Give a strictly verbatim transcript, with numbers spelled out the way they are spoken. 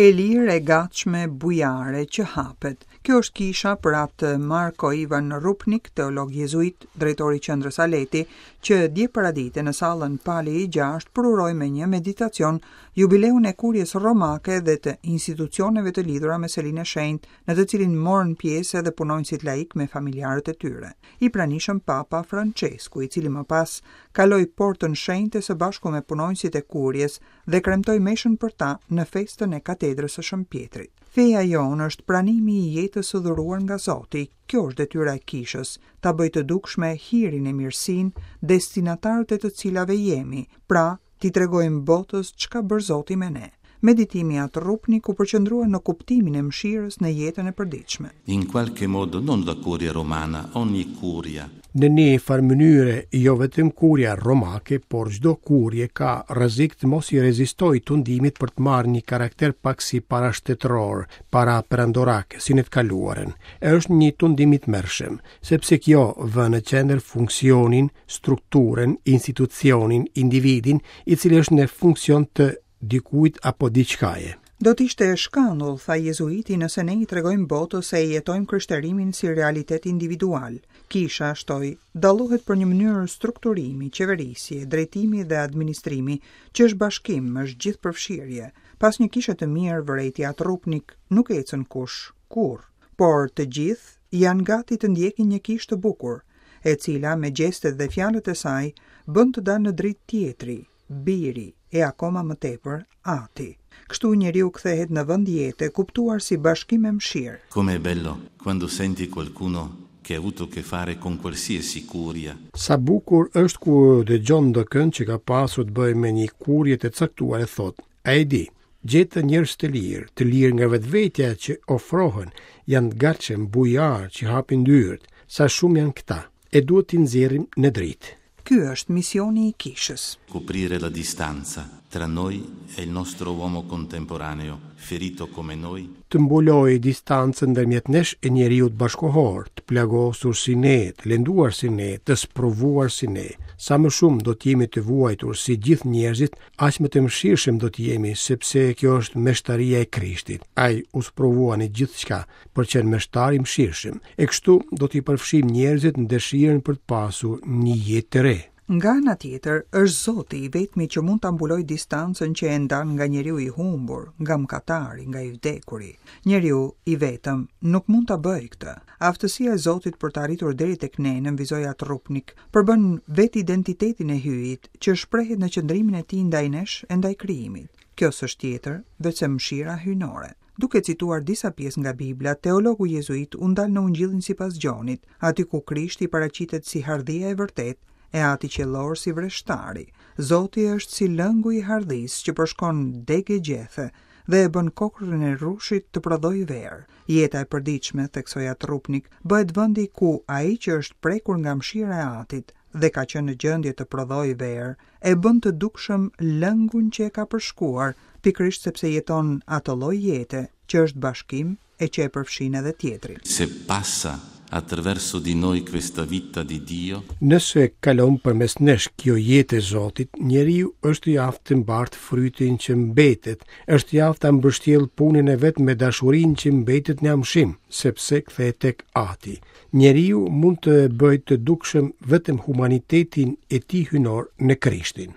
E lirë, e gatshme, bujare që hapet. Kjo është kisha për atë Marko Ivan Rupnik, teolog jezuit, drejtori i qendrës Aleti, që dje paradite në sallën Pali i gjashtë përuroi me një meditacion jubileun e kurjes romake dhe të institucioneve të lidhura me selinë e shenjtë, në të cilin morën pjesë edhe punonjësit laik me familjarët e tyre. I pranishëm Papa Francesku, i cili më pas kaloi portën shenjte së bashku me punonjësit e kurjes dhe kremtoi meshën për ta në festën e katedrës së Shën Pjetrit. Feja jonë është pranimi i jetës së dhuruar nga Zoti. Kjo është detyra e kishës, ta bëjë të dukshme hirin e mirësinë, destinatarët e të cilave jemi, pra t'i tregojmë botës çka bërë Zoti me ne. Meditimi At Rupnik u përqendrua në kuptimin e mëshirës në jetën e përditshme. In qualche modo non la curia romana, ogni curia. Në një farë mënyre, jo vetëm kuria romake, por çdo kurje ka rrezik të mos i rezistojë tundimit për të marrë një karakter pak si parashtetëror, para perandorak, si në të kaluarën. E është një tundim i tmerrshëm, sepse kjo vë në qendër funksionin, strukturën, institucionin, individin, i cili është në funksion të dikujt apo diçkaje. Do të ishte shkandull, tha jezuiti, nëse ne i tregojmë botës se e jetojmë krishterimin si realitet individual. Kisha, shtoi, dallohet për një mënyrë strukturimi, qeverisje, drejtimi dhe administrimi, që është bashkim, është gjithëpërfshirje. Pas një kishe të mirë, vërejti At Rupnik, nuk ecën kush, kurrë, por të gjithë janë gati të ndjekin një kishë të bukur, e cila me gjestet dhe fjalët e saj bën të dalë në dritë tjetri, biri e akoma më tepër ati. Kështu njeriu kthehet në vend jete, kuptuar si bashkim e mëshirë. Come è bello quando senti qualcuno che ha avuto a che fare con qualsiasi curia. Sa bukur është kur dëgjon ndokënd që ka pasur të bëjë me një kurje të caktuar e thotë, a e di, gjetë njerëz të lirë, të lirë nga vetvetja që ofrohen, janë të gatshëm, bujar që hapin dyert, sa shumë janë këta, e duhet t'i nxjerrim në dritë. Ky është misioni i kishës. Coprire la distanza tra noi e il nostro uomo contemporaneo, ferito come noi. Të mbulojë distancën ndërmjet nesh e njeriut bashkohor, të plagosur si ne, të lënduar si ne, të sprovuar si ne. Sa më shumë do të jemi të vuajtur si gjithë njerëzit, aq më të mëshirshëm do të jemi, sepse kjo është meshtaria e Krishtit. Ai u sprovua në gjithçka për qenë meshtar i mëshirshëm. E kështu do t'i përfshijmë njerëzit në dëshirën për të pasur një jetë të re. Nga ana tjetër, është Zoti i vetmi që mund ta mbulojë distancën që e ndan nga njeriu i humbur, nga mëkatari, nga i vdekuri. Njeriu i vetëm nuk mund ta bëjë këtë. Aftësia e Zotit për të arritur deri tek ne, nënvizoi At Rupnik, përbën vetë identitetin e Hyjit, që shprehet në qëndrimin e tij ndaj nesh e ndaj krijimit. Kjo s'është tjetër, veçse mëshira hyjnore. Duke cituar disa pjesë nga Bibla, teologu jezuit u ndal në Ungjillin sipas Gjonit, aty ku Krishti paraqitet si hardhia e vërtetë, e ati qiellor si vreshtari. Zoti është si lëngu i hardhisë që përshkon degë e gjethe dhe e bën kokrrën e rrushit të prodhojë verë. Jeta e përditshme, theksoi At Rupnik, bëhet vendi ku ai që është prekur nga mëshira e atit dhe ka qenë në gjendje të prodhojë verë, e bën të dukshëm lëngun që e ka përshkuar, pikërisht sepse jeton atë lloj jete që është bashkim e që e përfshin edhe tjetrin. Se passa attraverso di noi questa vita di Dio, Nëse kalon përmes nesh kjo jetë e Zotit, njeriu është i aftë të mbart frytin që mbetet, është i aftë ta mbështjell punën e vet me dashurinë që mbetet në amshim, sepse kthehet tek Ati. Njeriu mund të bëjë të dukshëm vetëm humanitetin e tij hyjnor në Krishtin.